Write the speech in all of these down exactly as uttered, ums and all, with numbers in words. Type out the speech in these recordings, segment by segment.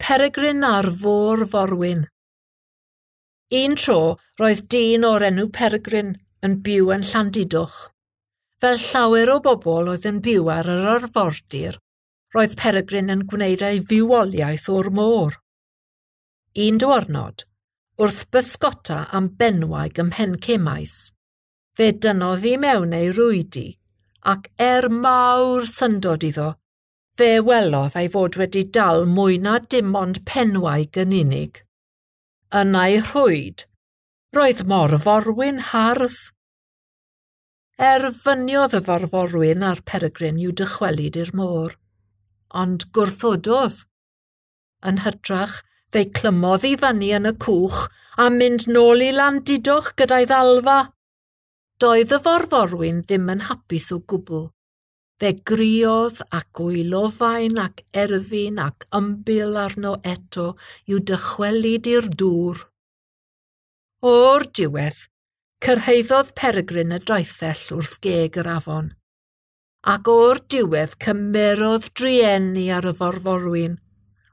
Peregrine a'r Fôr-forwyn. Un tro, roedd dyn o'r enw Peregrine yn byw yn Llandudoch. Fel llawer o bobl oedd yn byw ar yr arfordir, roedd Peregrine yn gwneud ei fywoliaeth o'r môr. Un diwrnod, wrth bysgota am benwaig ym Mhencemais, fe dynnodd i mewn ei rwydi ac er mawr syndod iddo, fe welodd ei fod wedi dal mwy na dim ond penwaig yn unig. Yn ei rhwyd, roedd morforwyn hardd. Erfyniodd y forforwyn a'r Peregrine i'w dychwelyd i'r môr, ond gwrthododd. Yn hytrach, fe'i clymodd i fyny yn y cwch a mynd nôl i Landudoch gyda'i ddalfa. Doedd y forforwyn ddim yn hapus o gwbl. Fe griodd ac wylofain ac erfyn ac ymbil arno eto i'w dychwelyd i'r dŵr. O'r diwedd, cyrhaeddodd Peregrine y draethell wrth geg yr afon, ac o'r diwedd cymerodd drueni ar y forforwyn,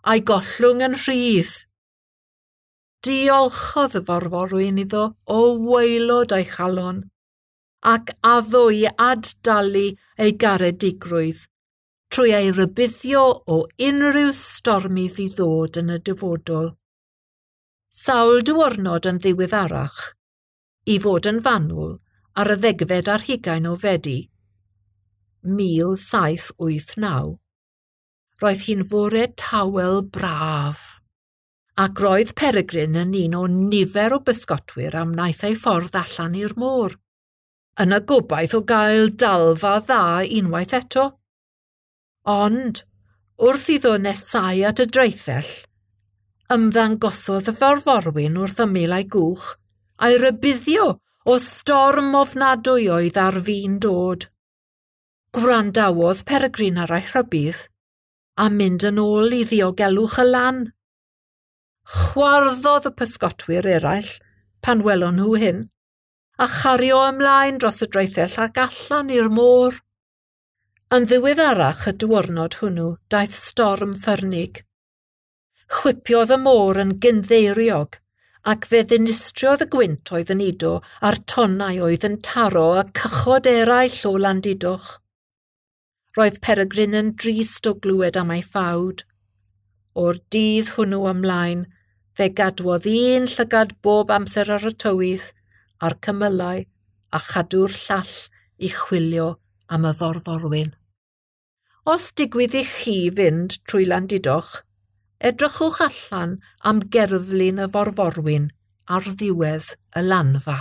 a'i gollwng yn rhydd. Diolchodd y forforwyn iddo o waelod ei chalon, ac addo i ad-dalu ei garedigrwydd trwy ei rybuddio o unrhyw stormydd i ddod yn y dyfodol. Sawl diwrnod yn ddiweddarach, i fod yn fanwl ar y ddegfed ar hugain o Fedi, mil saith wyth naw, roedd hi'n fore tawel braf, ac roedd Peregrine yn un o nifer o bysgotwyr am wnaeth ei ffordd allan i'r môr, yn y gobaith o gael dalfa dda unwaith eto. Ond, wrth iddo nesau at y draethell, ymddangosodd y forforwyn wrth ymyl ei gwch, a'i rybuddio o storm ofnadwy oedd ar fin dod. Gwrandawodd Peregrine ar ei rhybudd, a mynd yn ôl i ddiogelwch y lan. Chwarddodd y pysgotwyr eraill pan welon nhw hyn, a chario ymlaen dros y draethell ac allan i'r môr. Yn ddiweddarach y diwrnod hwnnw daeth storm ffyrnig. Chwipiodd y môr yn gynddeiriog, ac fe ddinistriodd y gwynt oedd yn udo a'r tonnau oedd yn taro y cychod eraill o Landudoch. Roedd Peregrine yn drist o glywed am ei ffawd. O'r dydd hwnnw ymlaen, fe gadwodd un llygad bob amser ar y tywydd, a'r cymylau, a chadw'r llall i chwilio am y forforwyn. Os digwydd i chi fynd trwy Landudoch, edrychwch allan am gerflun y forforwyn ar ddiwedd y lanfa.